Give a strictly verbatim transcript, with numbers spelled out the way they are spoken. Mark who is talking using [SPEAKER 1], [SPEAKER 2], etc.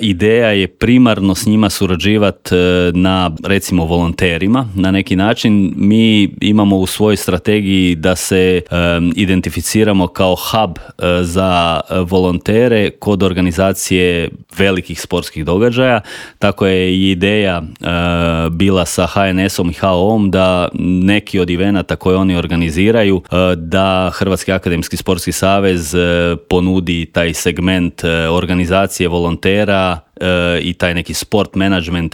[SPEAKER 1] ideja je primarno s njima surađivati na, recimo, volonterima na neki način. Mi imamo u svojoj strategiji da se um, identificiramo kao hub uh, za volontere kod organizacije velikih sportskih događaja. Tako je i ideja uh, bila sa H N S-om i H O M da neki od evenata koje oni organiziraju, uh, da Hrvatski akademski sportski savez uh, ponudi taj segment uh, organizacije volontera i taj neki sport management